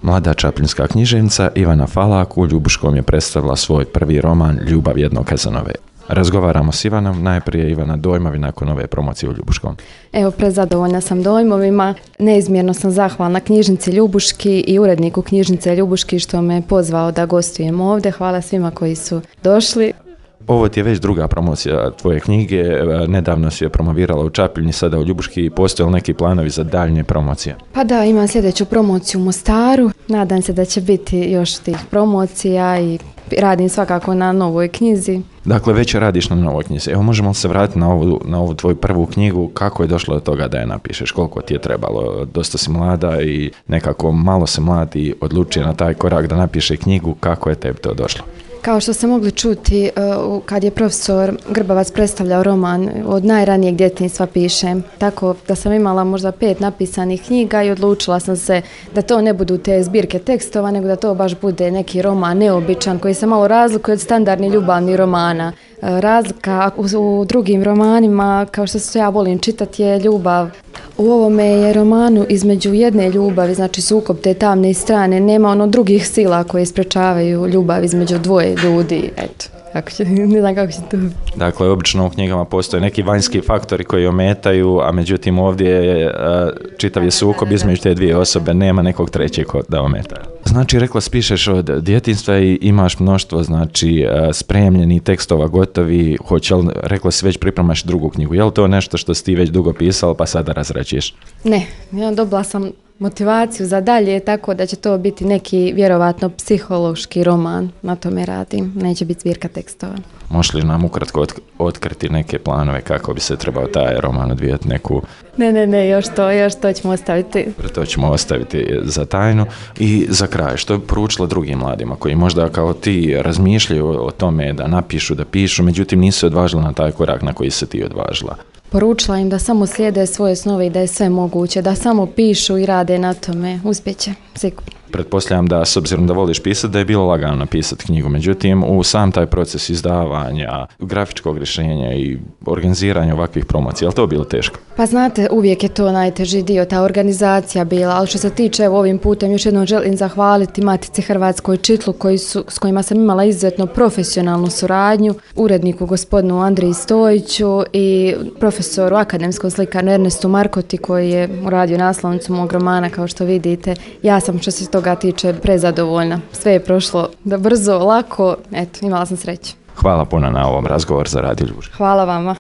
Mlada čapljinska književnica Ivana Falak u Ljubuškom je predstavila svoj prvi roman Ljubav jednog Kazanove. Razgovaramo s Ivanom, najprije Ivana, dojmovi nakon ove promocije u Ljubuškom. Evo, prezadovoljna sam dojmovima, neizmjerno sam zahvalna knjižnici Ljubuški i uredniku knjižnice Ljubuški što me pozvao da gostujem ovdje. Hvala svima koji su došli. Ovo ti je već druga promocija tvoje knjige, nedavno si je promovirala u Čapljini, sada u Ljubuški. Postoje li neki planovi za daljnje promocije? Pa da, imam sljedeću promociju u Mostaru, nadam se da će biti još tih promocija i radim svakako na novoj knjizi. Dakle, već radiš na novoj knjizi. Evo, možemo li se vratiti na ovu tvoju prvu knjigu, kako je došlo do toga da je napišeš, koliko ti je trebalo? Dosta si mlada i nekako malo se mladi odlučio na taj korak da napiše knjigu, kako je tebi to došlo? Kao što ste mogli čuti kad je profesor Grbavac predstavljao roman, od najranijeg djetinjstva pišem, tako da sam imala možda 5 napisanih knjiga i odlučila sam se da to ne budu te zbirke tekstova, nego da to baš bude neki roman neobičan koji se malo razlikuje od standardnih ljubavnih romana. Razlika u drugim romanima, kao što se ja volim čitati, je ljubav. U ovome je romanu između jedne ljubavi, znači sukob te tamne strane, nema drugih sila koje sprečavaju ljubav između dvoje ljudi, eto. Ne znam kako će to. Dakle, obično u knjigama postoje neki vanjski faktori koji ometaju, a međutim ovdje je čitav je sukob između te dvije osobe, nema nekog trećeg da ometa. Znači, rekla spišeš od djetinjstva i imaš mnoštvo, znači, spremljeni tekstova gotovi, rekla si već pripremaš drugu knjigu. Je li to nešto što si ti već dugo pisala pa sada razrađuješ? Ne, ja dobila sam motivaciju za dalje, tako da će to biti neki vjerovatno psihološki roman, na tome radim, neće biti zbirka tekstova. Možeš li nam ukratko otkriti neke planove kako bi se trebao taj roman odvijati neku... Ne, još to ćemo ostaviti. To ćemo ostaviti za tajnu. I za kraj, što bi poručila drugim mladima koji možda kao ti razmišljaju o tome da napišu, da pišu, međutim nisu odvažili na taj korak na koji se ti odvažila? Poručila im da samo slijede svoje snove i da je sve moguće, da samo pišu i rade na tome. Uspjeće, sigurno. Pretpostavljam da, s obzirom da voliš pisati, da je bilo lagano napisati knjigu. Međutim, u sam taj proces izdavanja, grafičkog rješenja i organiziranja ovakvih promocija, je li to bilo teško? Pa znate, uvijek je to najteži dio, ta organizacija bila, ali što se tiče, ovim putem još jednom želim zahvaliti Matici Hrvatskoj Čitlu s kojima sam imala izuzetno profesionalnu suradnju, uredniku gospodinu Andriji Stojiću i profesoru akademskom slikaru Ernestu Markoti koji je uradio naslovnicu mog romana, kao što vidite. Ja sam što se toga tiče prezadovoljna. Sve je prošlo da brzo, lako, eto, imala sam sreće. Hvala puno na ovom razgovoru za Radio Ljubuški. Hvala vama.